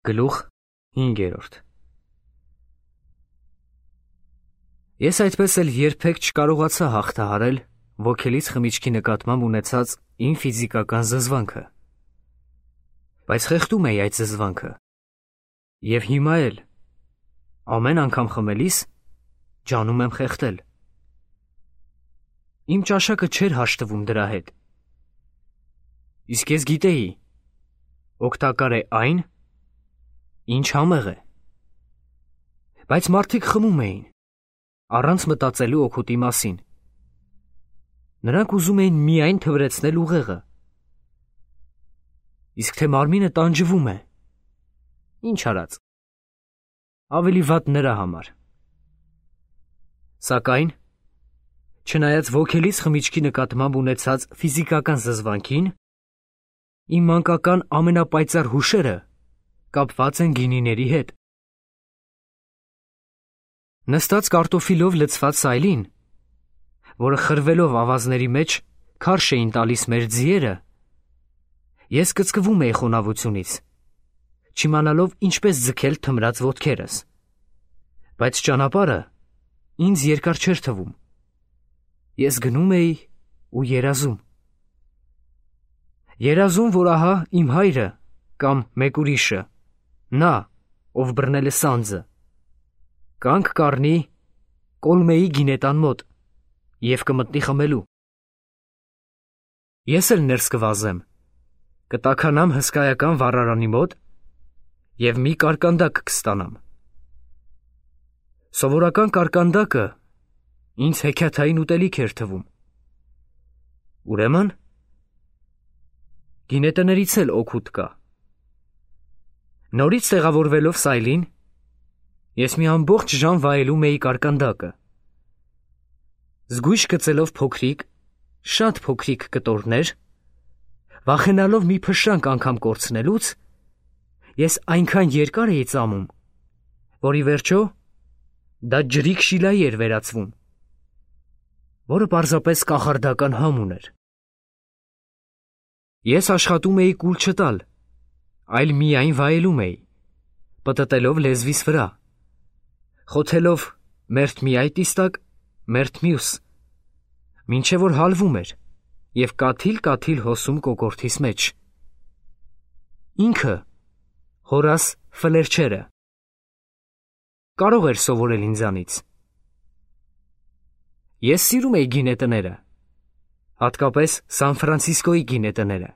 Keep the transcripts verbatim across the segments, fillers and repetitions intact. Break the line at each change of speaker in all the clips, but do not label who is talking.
Գլուխ հինգերորդ Ես այդպես էլ երբեք չկարողացա հաղթահարել ոգելից խմիչքի նկատմամբ ունեցած իմ ֆիզիկական զզվանքը, բայց խեղդում էի այդ զզվանքը, և հիմա էլ, ամեն անգամ խմելիս, ջանում եմ խեղդել։ Իմ ճաշակը չէր հաշտվում դրա հետ, իսկ ես գիտեի, օգտակար է այն, ինչ համեղ է, բայց մարդիկ խմում էին, առանց մտածելու օգուտի մասին։ Նրանք ուզում էին միայն թվրեցնել ուղեղը, իսկ թե մարմինը տանջվում է, ինչ արած, ավելի վատ նրա համար։ Սակայն, չնայած ոգելից խմիչքի նկատմամբ ունեցած ֆիզիկական զզվանքին, իմ մանկական ամենապայծառ հուշերը կապված են գինիների հետ։ Նստած կարտոֆիլով լցված սայլին, որը խրվելով ավազների մեջ քարշ էին տալիս մեր ձիերը, ես կծկվում էի խոնավությունից, չիմանալով ինչպես ձգել թմրած ոտքերս, բայց ճանապարհը ինձ երկար չէր թվում։ Ես գնում էի ու երազում։ Երազում, որ ահա իմ հայրը կամ մեկ ուրիշը, նա, ով բռնել է սանձը, կանգ կառնի Կոլմեի գինետան մոտ և կմտնի խմելու։ Ես էլ ներս կվազեմ, կտաքանամ հսկայական վառարանի մոտ և մի կարկանդակ կստանամ։ Սովորական կարկանդակը ինձ հեքիաթային ուտելիք էր թվում։ Ուրեմն, գինետներից էլ օգուտ կա։ Նորից տեղավորվելով սայլին, ես մի ամբողջ ժամ վայելում էի կարկանդակը։ Զգույշ գծելով փոքրիկ, շատ փոքրիկ կտորներ, վախենալով մի փշրանք անգամ կորցնելուց, ես այնքան երկար էի ծամում, որ ի վերջո դա ջրիկ շիլայի էր վերածվում, որը պարզապես կախարդական համ ուներ։ Ես աշխատում էի կուլ չտալ, այլ միայն վայելում էի, պտտելով լեզվիս վրա, խոթելով մերթ մի այդ իստակ, մերթ մյուս, մինչև որ հալվում էր և կաթիլ-կաթիլ հոսում կոկորդիս մեջ։ Ինքը, Հորաս Ֆլերչերը, կարող էր սովորել ինձանից։ Ես սիրում էի գինետները, հատկապես Սան Ֆրանցիսկոյի գինետները։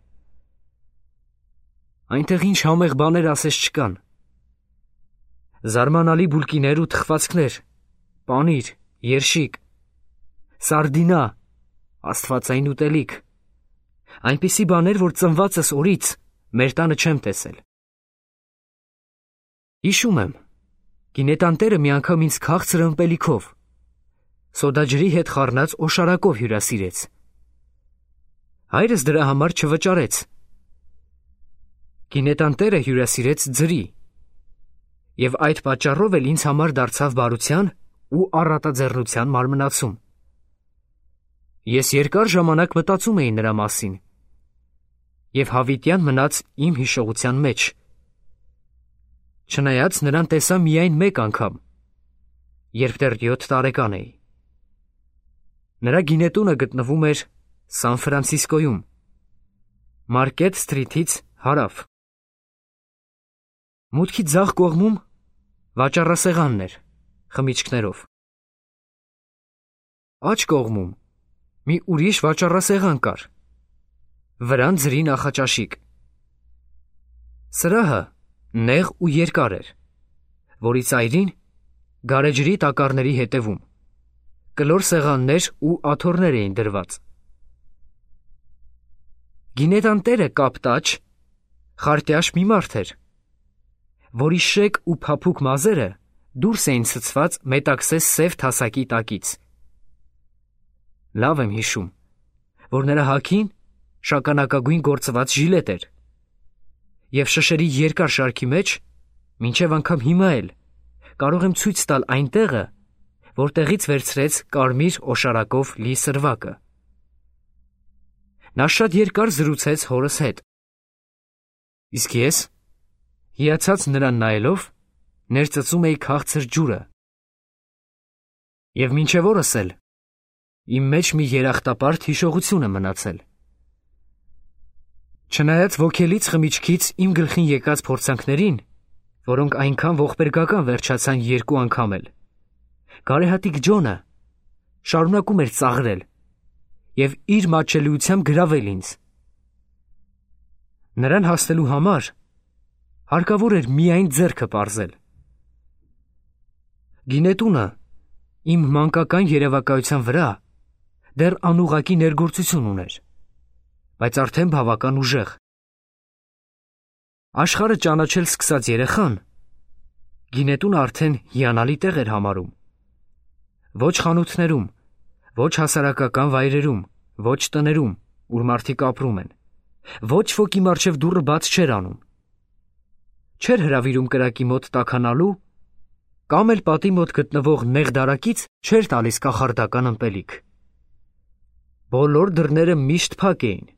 Այնտեղ ինչ համեղ բաներ ասես չկան։ Զարմանալի բուլկիներ ու թխվածքներ, պանիր, երշիկ, սարդինա, աստվածային ուտելիք, այնպիսի բաներ, որ ծնվածս օրից մեր տանը չեմ տեսել։ Հիշում եմ, գինետան տերը մի անգամ ինձ քաղցր ըմպելիքով, սոդաջրի հետ խառնած օշարակով հյուրասիրեց։ Հայրս դրա համար չվճարեց։ Գինետան տերը հյուրասիրեց ձրի, և այդ պատճառով էլ ինձ համար դարձավ բարության ու առատաձեռնության մարմնացում։ Ես երկար ժամանակ մտածում էի նրա մասին, և հավիտյան մնաց իմ հիշողության մեջ, չնայած նրան տեսա միայն մեկ անգամ, երբ դեռ յոթ տարեկան էի։ Նրա գինետունը գտնվում էր Սան Ֆրանցիսկոյում, Մարկետ Սթրիթից հարավ։ Մուտքի ձախ կողմում վաճառասեղանն էր, խմիչքներով։ Աջ կողմում մի ուրիշ վաճառասեղան կար, վրան ձրի նախաճաշիկ։ Սրահը նեղ ու երկար էր, որի ծայրին գարեջրի տակառների հետևում կլոր սեղաններ ու աթոռներ էին դրված։ Գինետան տերը կապտաչ, խարտյաշ մի մարդ էր, որի շեկ ու փափուկ մազերը դուրս էին ցցված մետաքսե սև թասակի տակից։ Լավ եմ հիշում, որ նրա հագին շագանակագույն գործված ժիլետ էր, և շշերի երկար շարքի մեջ, մինչև անգամ հիմա էլ, կարող եմ ցույց տալ այն տեղը, որտեղից վերցրեց կարմիր օշարակով լի սրվակը։ Նա շատ երկար զրուցեց հորս հետ, իսկ ես հիացած նրան նայելով, ներծծում էի քաղցր ջուրը։ Եվ մինչև օրս էլ իմ մեջ մի երախտապարտ հիշողություն է մնացել։ Չնայած ոգելից խմիչքից իմ գլխին եկած փորձանքներին, որոնք այնքան ողբերգական վերջացան երկու անգամ էլ, գարեհատիկ Ջոնը շարունակում էր ծաղրել և իր մատչելիությամբ գրավել ինձ։ Նրան հասնելու համար հարկավոր էր միայն ձեռքը պարզել։ Գինետունը իմ մանկական երևակայության վրա դեռ անուղղակի ներգործություն ուներ, բայց արդեն բավական ուժեղ։ Աշխարհը ճանաչել սկսած երեխան գինետունը արդեն հիանալի տեղ էր համարում։ Ոչ խանութներում, ոչ հասարակական վայրերում, ոչ տներում, ուր մարդիկ ապրում են, ոչ ոքի մառչև դուռը բաց չէր անում։ Չէր հրավիրում կրակի մոտ տաքանալու կամ էլ պատի մոտ գտնվող նեղ դարակից չէր տալիս կախարդական ըմպելիք։ Բոլոր դռները միշտ փակ էին։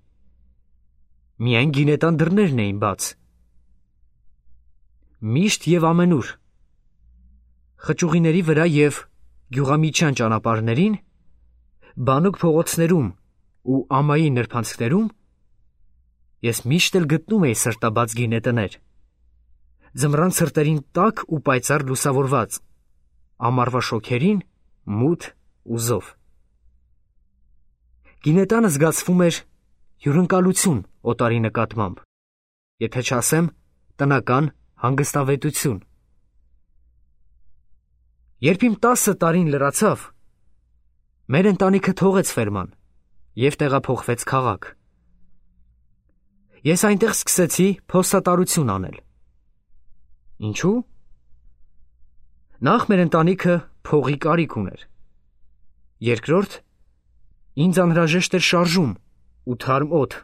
Միայն գինետան դռներն էին բաց։ Միշտ և ամենուր, խճուղիների վրա և գյուղամիջյան ճանապարհներին, բանուկ փողոցներում ու ամայի նրբանցքներում ես միշտ էլ գտնում էի սրտաբաց գինետներ, ձմռան ցրտերին տաք ու պայծառ լուսավորված, ամառվա շոգերին մութ ու զով։ Գինետանը զգացվում էր հյուրընկալություն օտարի նկատմամբ, եթե չասեմ տնական հանգստավետություն։ Երբ իմ տասը տարին լրացավ, մեր ընտանիքը թողեց ֆերման և տեղափոխվեց քաղաք։ Ես այնտեղ սկսեցի փոստատարություն անել։ Ինչու՞։ Նախ մեր ընտանիքը փողի կարիք ուներ։ Երկրորդ, ինձ անհրաժեշտ էր շարժում ու թարմ օդ։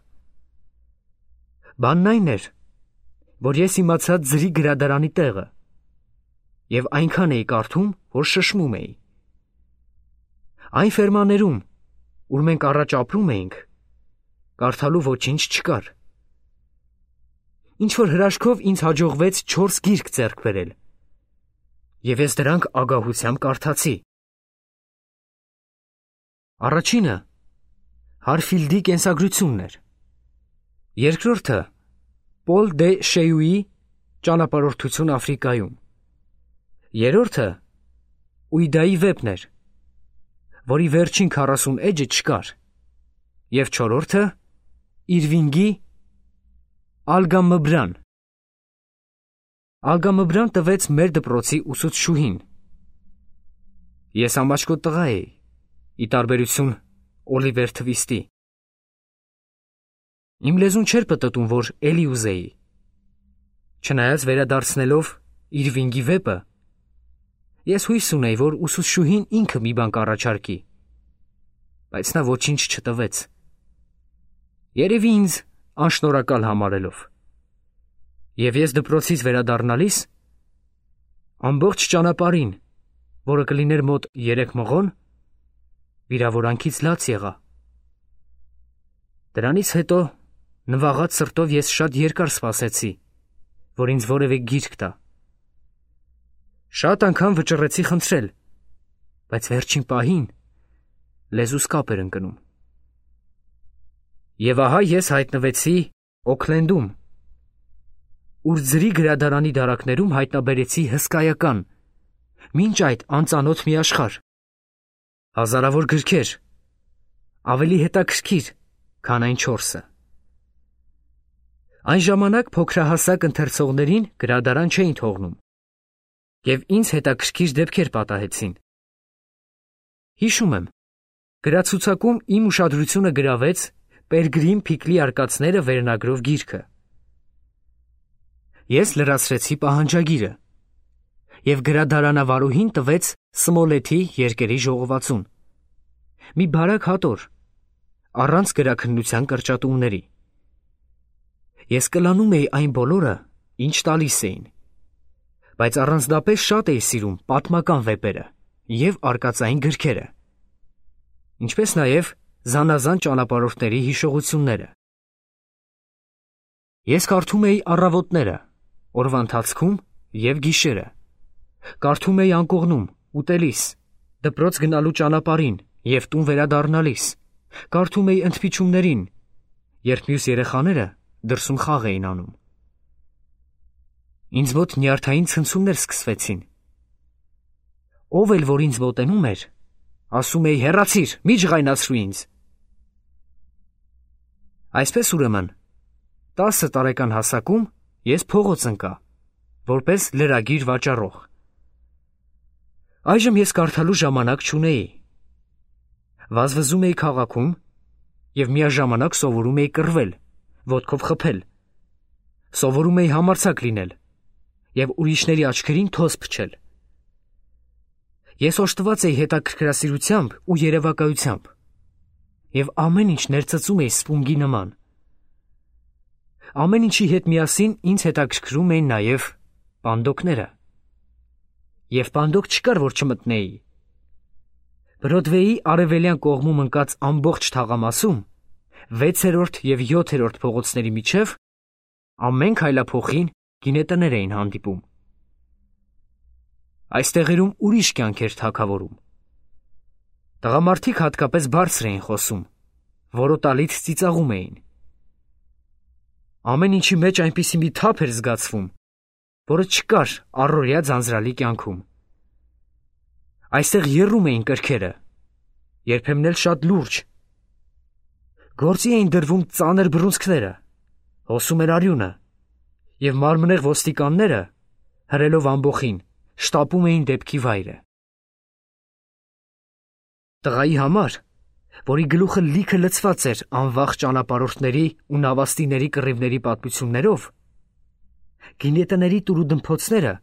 Բանն այն էր, որ ես իմացա ձրի գրադարանի տեղը և այնքան էի կարդում, որ շշմում էի։ Այն ֆերմաներում, ուր մենք առաջ ապրում էինք, կարդալու ոչինչ չկար։ Ինչ-որ հրաշքով ինձ հաջողվեց չորս գիրք ձեռք բերել, և ես դրանք ագահությամբ կարդացի։ Առաջինը Հարֆիլդի կենսագրությունն էր, երկրորդը Պոլ դե Շեյուի ճանապարհորդություն Աֆրիկայում, երրորդը Ուիդայի վեպն էր, որի վերջին քառասուն էջը չկար, և չորրորդը Իրվինգի Ալգամբրան։ Ալգամբրան տվեց մեր դպրոցի ուսուցչուհին։ Ես ամաչկոտ տղա էի, ի տարբերություն Օլիվեր Թվիստի։ Իմ լեզուն չէր պտտում, որ էլի ուզեի։ Չնայած վերադարձնելով Իրվինգի վեպը, ես հույս ունեի, որ ուսուցչուհին ինքը մի բան կառաջարկի, բայց նա ոչինչ չտվեց։ Երևի ինձ անշնորհակալ համարելով։ Եվ ես դպրոցից վերադառնալիս ամբողջ ճանապարհին, որը կլիներ մոտ երեք մղոն, վիրավորանքից լաց եղա։ Դրանից հետո նվաղած սրտով ես շատ երկար սպասեցի, որ ինձ որևէ գիրք տա։ Շատ անգամ վճռեցի խնդրել, բայց վերջին պահին լեզուս կապ էր ընկնում։ Եվ ահա ես հայտնվեցի Օքլենդում, ուր ձրի գրադարանի դարակներում հայտնաբերեցի հսկայական, մինչ այդ անծանոթ մի աշխարհ, հազարավոր գրքեր, ավելի հետաքրքիր, քան այն չորսը։ Այն ժամանակ փոքրահասակ ընթերցողներին գրադարան չէին թողնում, և ինձ հետաքրքիր դեպքեր պատահեցին։ Հիշում եմ, գրացուցակում իմ ուշադրությունը գրավեց Պերգրիմ Փիկլի արկածները վերնագրով գիրքը։ Ես լրացրեցի պահանջագիրը, և գրադարանավարուհին տվեց Սմոլեթի երկերի ժողովածուն, մի բարակ հատոր, առանց գրաքննության կրճատումների։ Ես կլանում էի այն բոլորը, ինչ տալիս էին, բայց առանձնապես շատ էի սիրում պատմական վեպերը և արկածային գրքերը, ինչպես նաև զանազան ճանապարհորդների հիշողությունները։ Ես կարդում էի առավոտները օրվա ընթացքում և գիշերը։ Կարդում էի անկողնում, ուտելիս, դպրոց գնալու ճանապարհին և տուն վերադառնալիս, կարդում էի ընդմիջումներին, երբ մյուս երեխաները դրսում խաղ էին անում։ Ինձ մոտ նյարդային ցնցումներ սկսվեցին։ Ով էլ որ ինձ մոտենում էր, ասում էի հեռացիր, մի ջղայնացրու ինձ։ Այսպես ուրեմն, տասը տարեկան հասակում ես փողոց ընկա, որպես լրագիր վաճառող։ Այժմ ես կարդալու ժամանակ չունեի։ Վազվզում էի քաղաքում և միաժամանակ սովորում էի կռվել, ոտքով խփել, սովորում էի համարձակ լինել և ուրիշների աչքերին թոզ փչել։ Ես օժտված էի հետաքրքրասիրությամբ ու երևակայությամբ և ամեն ինչ ներծծում էի սպունգի նման։ Ամեն ինչի հետ միասին ինձ հետաքրքրում էին նաև պանդոկները։ Եվ պանդոկ չկար, որ չմտնեի։ Բրոդվեի արևելյան կողմում ընկած ամբողջ թաղամասում, վեցերորդ և յոթերորդ փողոցների միջև, ամեն քայլափոխին գինետներ էին հանդիպում։ Այս տեղերում ուրիշ կյանք էր թագավորում։ Տղամարդիկ հատկապես բարձր էին խոսում, որոտալից ծիծաղում էին։ Ամեն ինչի մեջ այնպիսի մի թափ էր զգացվում, որը չկար առօրյա ձանձրալի կյանքում։ Այստեղ եռում էին կրքերը, երբեմն էլ շատ լուրջ։ Գործի էին դրվում ծանր բռունցքները, հոսում էր արյունը, և մարմնեղ ոստիկանները, հրելով ամբոխին, շտապում էին դեպքի վայրը։ Տղայի համար, որի գլուխը լիքը լցված էր անվախ ճանապարհորդների ու նավաստիների կռիվների պատմություններով, գինետների տուրուդմփոցները,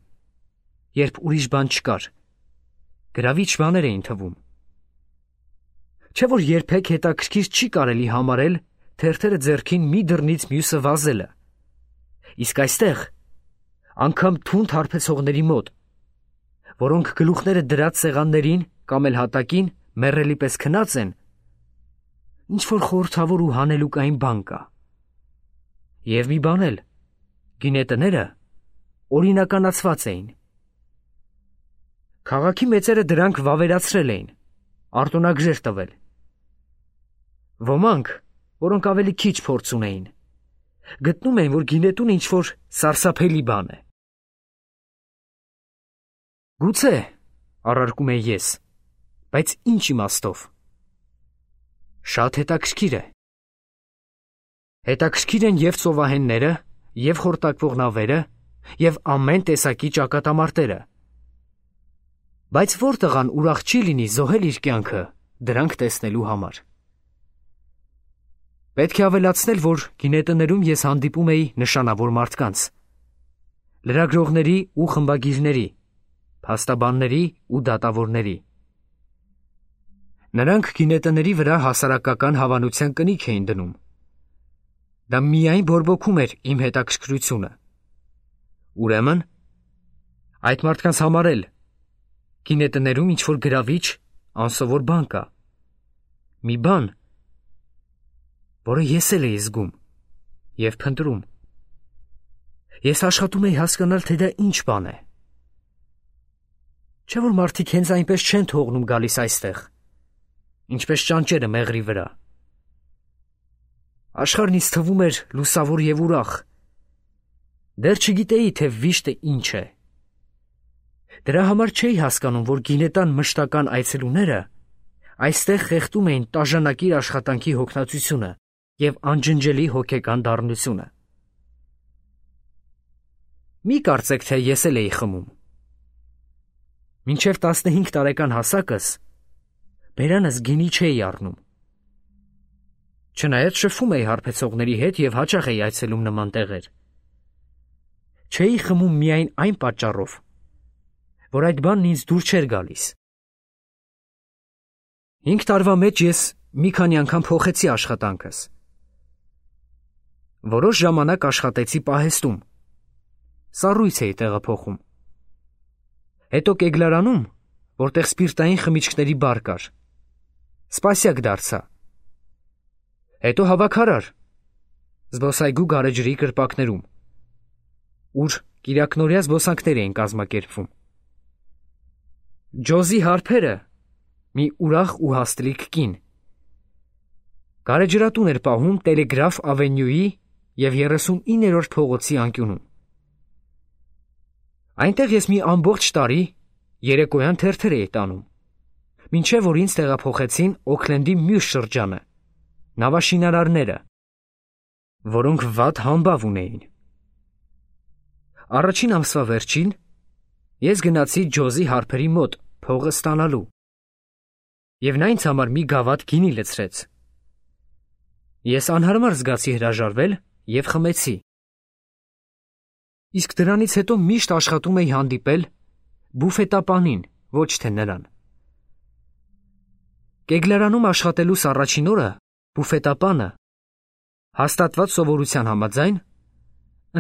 երբ ուրիշ բան չկար, գրավիչ բաներ էին թվում։ Չէ՞ որ երբեք հետաքրքիր չի կարելի համարել թերթերը ձեռքին մի դռնից մյուսը վազելը, իսկ այստեղ, անգամ թունդ հարբեցողների մոտ, որոնք գլուխները դրած սեղաններին կամ էլ հատակին մեռելի պես քնած են, ինչ-որ խորհրդավոր ու հանելուկային բան կա։ Եվ մի բան էլ, գինետները օրինականացված էին։ Քաղաքի մեծերը դրանք վավերացրել էին, արտոնագրեր տվել։ Ոմանք, որոնք ավելի քիչ փորձ ունեին, գտնում էին, որ գինետուն ինչ-որ սարսափելի բան է։ Գուցե, առարկում էի ես, բայց ինչ իմաստով։ Շատ հետաքրքիր է։ Հետաքրքիր են և ծովահենները, և խորտակվող նավերը, և ամեն տեսակի ճակատամարտերը։ Բայց որ տղան ուրախ չի լինի զոհել իր կյանքը դրանք տեսնելու համար։ Պետք է ավելացնել, որ գինետներում ես հանդիպում էի նշանավոր մարդկանց, լրագրողների ու խմբագիրների, փաստաբանների ու դատավորների։ Նրանք գինետների վրա հասարակական հավանության կնիք էին դնում։ Դա միայն բորբոքում էր իմ հետաքրքրությունը։ Ուրեմն, այդ մարդկանց համար էլ գինետներում ինչ-որ գրավիչ, անսովոր բան կա։ Մի բան, որը ես էլ էի զգում և փնտրում։ Ես աշխատում էի հասկանալ, թե դա ինչ բան է։ Չէ՞ որ մարդիկ հենց այնպես չեն թողնում գալիս այստեղ, ինչպես ճանճերը մեղրի վրա։ Աշխարհն ինձ թվում էր լուսավոր և ուրախ։ Դեռ չգիտեի, թե վիշտը ինչ է։ Դրա համար չէի հասկանում, որ գինետան մշտական այցելուները այստեղ խեղդում էին տաժանակիր աշխատանքի հոգնածությունը և անջնջելի հոգեկան դառնությունը։ Մի կարծեք, թե ես էլ էի խմում։ Մինչև տասնհինգ տարեկան հասակս բերանս գինի չէի առնում։ Չնայած շփվում էի հարբեցողների հետ և հաճախ էի այցելում նման տեղեր։ Չէի խմում միայն այն պատճառով, որ այդ բանն ինձ դուր չէր գալիս։ Հինգ տարվա մեջ ես մի քանի անգամ փոխեցի աշխատանքս։ Որոշ ժամանակ աշխատեցի պահեստում, սառույց էի տեղափոխում։ Հետո Կեգլարանում, որտեղ սպիրտային խմիչքների բար կար, սպասյակ դարձա։ Հետո հավաքարար, զբոսայգու գարեջրի կրպակներում, ուր կիրակնօրյա զբոսանքներ էին կազմակերպվում։ Ջոզի հարբերը մի ուրախ ու հաստլիկ կին։ Գարեջրատուն էր պահում Տելեգրաֆ ավենյուի և երեսունիններորդ փողոցի անկյունում։ Այնտեղ ես մի ամբողջ տարի երեկոյան թերթեր էի տանում, մինչև որ ինձ տեղափոխեցին Օքլենդի մյուս շրջանը, նավաշինարարները, որոնք վատ համբավ ունեին։ Առաջին ամսվա վերջին ես գնացի Ջոզի հարբերի մոտ փողը ստանալու, և նա ինձ համար մի գավաթ գինի լցրեց։ Ես անհարմար զգացի հրաժարվել և խմեցի։ Իսկ դրանից հետո միշտ աշխատում էի հանդիպել բուֆետապանին, ոչ թե նրան։ Կեգլարանում աշխատելուս առաջին օրը բուֆետապանը, հաստատված սովորության համաձայն,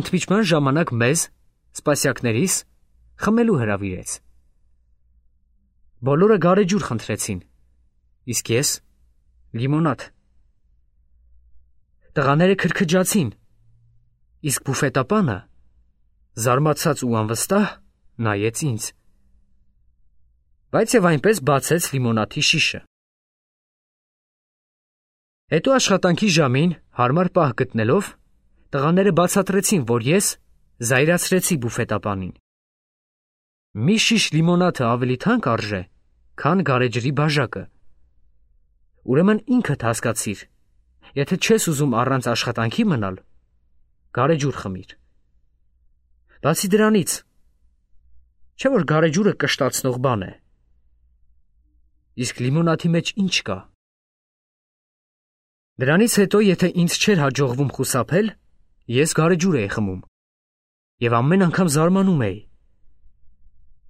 ընդմիջման ժամանակ մեզ, սպասյակներիս, խմելու հրավիրեց։ Բոլորը գարեջուր խնդրեցին, իսկ ես՝ լիմոնադ։ Տղաները քրքջացին, իսկ բուֆետապանը, զարմացած ու անվստահ, նայեց ինձ, բայց և այնպես բացեց լիմոնադի շիշը։ Հետո աշխատանքի ժամին հարմար պահ գտնելով, տղաները բացատրեցին, որ ես զայրացրեցի բուֆետապանին։ Մի շիշ լիմոնադը ավելի թանկ արժե, քան գարեջրի բաժակը։ Ուրեմն ինքդ հասկացիր, եթե չես ուզում առանց աշխատանքի մնալ, գարեջուր խմիր։ Բացի դրանից, չէ՞ որ գարեջուրը կշտացնող բան է։ Իսկ լիմոնադի մեջ ինչ կա։ Դրանից հետո, եթե ինձ չէր հաջողվում խուսափել, ես գարեջուր էի խմում և ամեն անգամ զարմանում էի,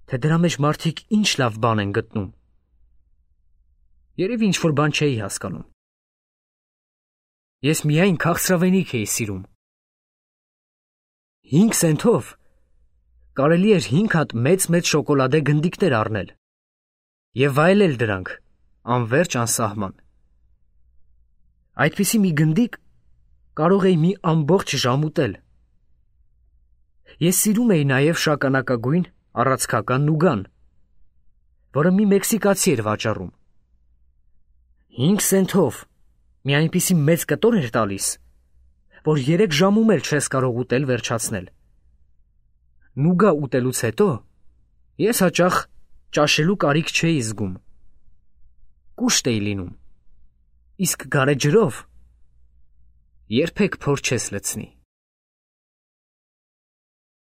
թե դրա մեջ մարդիկ ինչ լավ բան են գտնում։ Երևի ինչ-որ բան չէի հասկանում։ Ես միայն քաղցրավենիք էի սիրում։ Հինգ սենթով կարելի էր հինգ հատ մեծ-մեծ շոկոլադե գնդիկներ առնել և վայելել դրանք անվերջ անսահման։ Այդպիսի մի գնդիկ կարող էի մի ամբողջ ժամ ուտել։ Ես սիրում էի նաև շագանակագույն առացքական նուգան, որը մի մեքսիկացի էր վաճառում։ Հինգ սենթով մի այնպիսի մեծ կտոր էր տալիս, որ երեք ժամում էլ չես կարող ուտել վերջացնել։ Նուգա ուտելուց հետո ես հաճախ ճաշելու կարիք չէի զգում։ Կուշտ էի լինում, իսկ գարեջրով երբեք փոր չես լցնի։